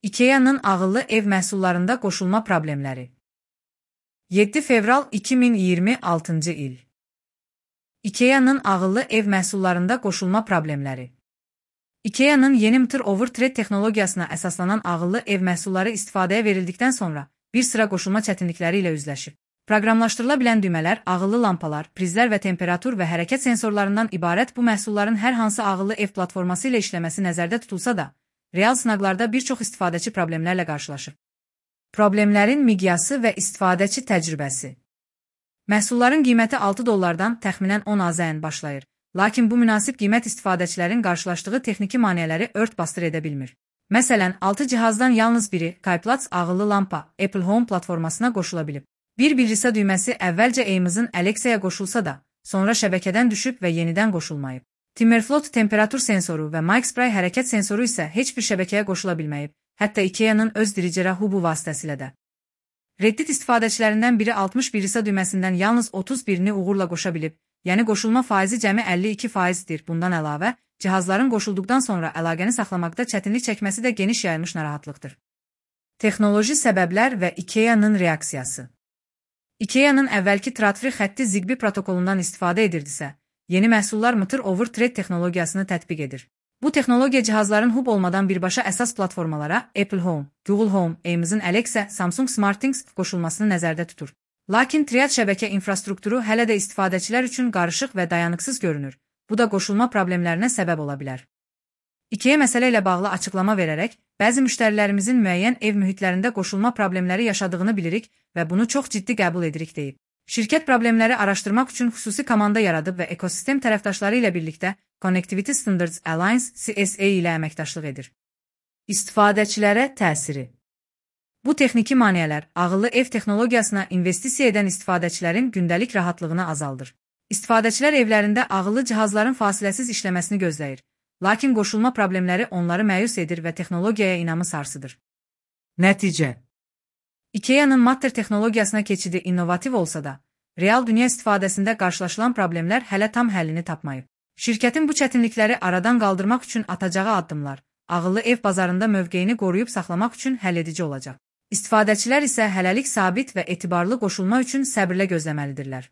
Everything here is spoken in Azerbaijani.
IKEA-nın ağıllı ev məhsullarında qoşulma problemləri. 7 fevral 2026-cı il. IKEA-nın ağıllı ev məhsullarında qoşulma problemləri. IKEA-nın yeni Mtr Overthread texnologiyasına əsaslanan ağıllı ev məhsulları istifadəyə verildikdən sonra bir sıra qoşulma çətinlikləri ilə üzləşib. Proqramlaşdırıla bilən düymələr, ağıllı lampalar, prizlər və temperatur və hərəkət sensorlarından ibarət bu məhsulların hər hansı ağıllı ev platforması ilə işləməsi nəzərdə tutulsa da, real sınaqlarda bir çox istifadəçi problemlərlə qarşılaşır. Problemlərin miqyası və istifadəçi təcrübəsi. Məhsulların qiyməti $6 təxminən 10 AZN başlayır, lakin bu münasib qiymət istifadəçilərin qarşılaşdığı texniki maneələri ört-basdır edə bilmir. Məsələn, 6 cihazdan yalnız biri Kayplats ağıllı lampa Apple Home platformasına qoşula bilib. Bir bilirsa düyməsi əvvəlcə Amazon Alexa'ya qoşulsa da, sonra şəbəkədən düşüb və yenidən qoşulmayıb. Timberfloat temperatur sensoru və MikeSpray hərəkət sensoru isə heç bir şəbəkəyə qoşula bilməyib, hətta IKEA-nın öz diricərə Hubu vasitəsilə də. Reddit istifadəçilərindən biri 60 bilirsa düyməsindən yalnız 31-ni uğurla qoşa bilib, yəni qoşulma faizi cəmi 52%dir. Bundan əlavə, cihazların qoşulduqdan sonra əlaqəni saxlamaqda çətinlik çəkməsi də geniş yayılmış narahatlıqdır. Texnoloji səbəblər və IKEA-nın reaksiyası. IKEA-nın əvvəlki Tradfree xətti Zigbee protokolundan istifadə edirdisə, yeni məhsullar Mtr Overthread texnologiyasını tətbiq edir. Bu texnologiya cihazların hub olmadan birbaşa əsas platformalara Apple Home, Google Home, Amazon Alexa, Samsung SmartThings qoşulmasını nəzərdə tutur. Lakin triad şəbəkə infrastrukturu hələ də istifadəçilər üçün qarışıq və dayanıqsız görünür. Bu da qoşulma problemlərinə səbəb ola bilər. IKEA məsələ ilə bağlı açıqlama verərək, bəzi müştərilərimizin müəyyən ev mühitlərində qoşulma problemləri yaşadığını bilirik və bunu çox ciddi qəbul edirik deyib. Şirkət problemləri araşdırmaq üçün xüsusi komanda yaradıb və ekosistem tərəfdaşları ilə birlikdə Connectivity Standards Alliance CSA ilə əməkdaşlıq edir. İstifadəçilərə təsiri. Bu texniki maneələr ağıllı ev texnologiyasına investisiya edən istifadəçilərin gündəlik rahatlığını azaldır. İstifadəçilər evlərində ağıllı cihazların fasiləsiz işləməsini gözləyir. Lakin qoşulma problemləri onları məyus edir və texnologiyaya inamı sarsıdır. Nəticə. IKEA-nın Matter texnologiyasına keçidi innovativ olsa da, real dünya istifadəsində qarşılaşılan problemlər hələ tam həllini tapmayıb. Şirkətin bu çətinlikləri aradan qaldırmaq üçün atacağı addımlar, ağıllı ev bazarında mövqeyini qoruyub saxlamaq üçün həlledici olacaq. İstifadəçilər isə hələlik sabit və etibarlı qoşulma üçün səbirlə gözləməlidirlər.